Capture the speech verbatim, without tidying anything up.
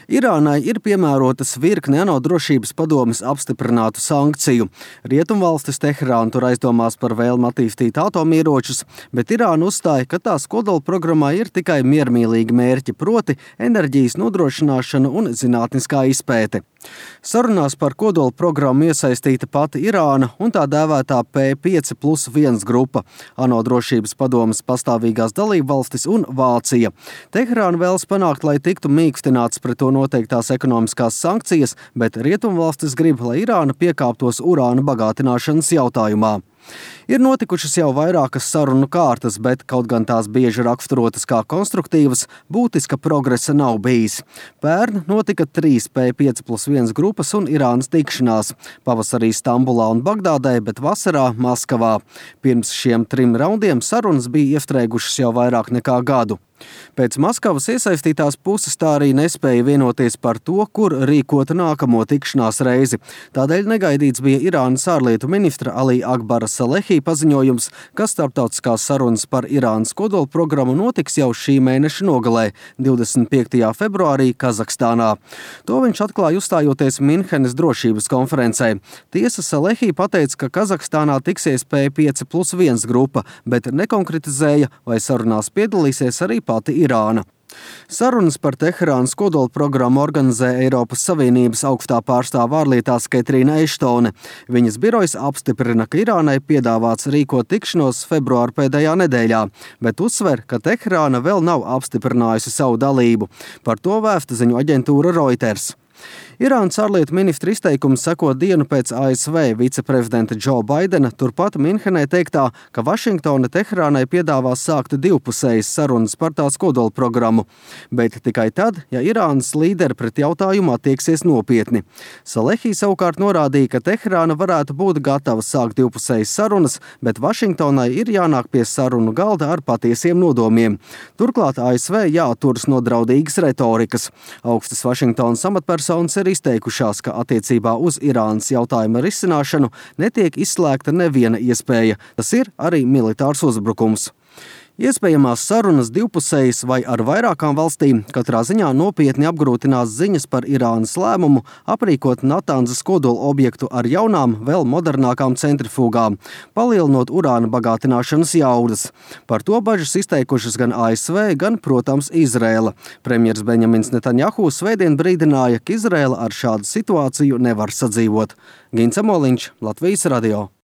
Irānai ir piemērotas virkne ANO drošības padomes apstiprinātu sankciju. Rietumvalstis Teherānu tur aizdomās par vēlmi attīstīt atomieročus, bet Irāna uzstāja, ka tās kodolprogrammā ir tikai miermīlīgi mērķi, proti enerģijas nodrošināšana un zinātniskā izpēte. Sarunās par kodolprogrammu iesaistīta pati Irāna un tā dēvētā P pieci plus viens grupa, ANO drošības padomes pastāvīgās dalībvalstis un Vācija. Teherāna vēlas panākt, lai tiktu mīkstināts pret to noteiktās ekonomiskās sankcijas, bet rietumvalstis grib, lai Irāna piekāptos urāna bagātināšanas jautājumā. Ir notikušas jau vairākas sarunu kārtas, bet kaut gan tās bieži raksturotas kā konstruktīvas, būtiska progresa nav bijis. Pērn notika trīs P pieci plus viens grupas un Irānas tikšanās. Pavasarī Stambulā un Bagdādē, bet vasarā Maskavā. Pirms šiem trim raundiem sarunas bija iestrēgušas jau vairāk nekā gadu. Pēc Maskavas iesaistītās puses tā arī nespēja vienoties par to, kur rīkot nākamo tikšanās reizi. Tādēļ negaidīts bija Irānas ārlietu ministra Ali Akbara Salehī paziņojums, ka starptautiskās sarunas par Irānas kodolprogrammu notiks jau šī mēneša nogalē, divdesmit piektajā februārī Kazahstānā. To viņš atklāja uzstājoties Minhenes drošības konferencē. Tiesa Salehī pateica, ka Kazahstānā tiksies P pieci plus viens grupa, bet nekonkretizēja, vai sarunās piedalīsies arī pati Irāna. Sarunas par Teherānas kodolprogrammu organizē Eiropas Savienības augstā pārstāve ārlietās Ketrīna Eštone. Viņas birojs apstiprina, ka Irānai piedāvāts rīkot tikšanos februāra pēdējā nedēļā, bet uzsver, ka Teherāna vēl nav apstiprinājusi savu dalību. Par to vēsta ziņu aģentūra Reuters. Irānas ārlietu ministra izteikums seko dienu pēc A S V viceprezidenta Džo Baidena turpat Minhenē teiktā, ka Vašingtona Teherānai piedāvās sākt divpusējas sarunas par tās kodolprogrammu, bet tikai tad, ja Irānas līderi pret jautājumu attieksies nopietni. Salehī savukārt norādīja, ka Teherāna varētu būt gatava sākt divpusējas sarunas, bet Vašingtonai ir jānāk pie sarunu galda ar patiesiem nodomiem. Turklāt A S V jāatturas no draudīgas retorikas. Augstas Vašingtonas amatpersonas ir izteikušās, ka attiecībā uz Irānas jautājuma risināšanu netiek izslēgta neviena iespēja. Tas ir arī militārs uzbrukums. Iespējamās sarunas divpusējas vai ar vairākām valstīm katrā ziņā nopietni apgrūtinās ziņas par Irānas lēmumu aprīkot Natanzas kodola objektu ar jaunām, vēl modernākām centrifugām, palielinot urāna bagātināšanas jaudas. Par to bažas izteikušas gan A S V, gan, protams, Izraela. Premjers Benjamins Netanjahu svētdien brīdināja, ka Izraela ar šādu situāciju nevar sadzīvot. Gins Amoliņš, Latvijas radio.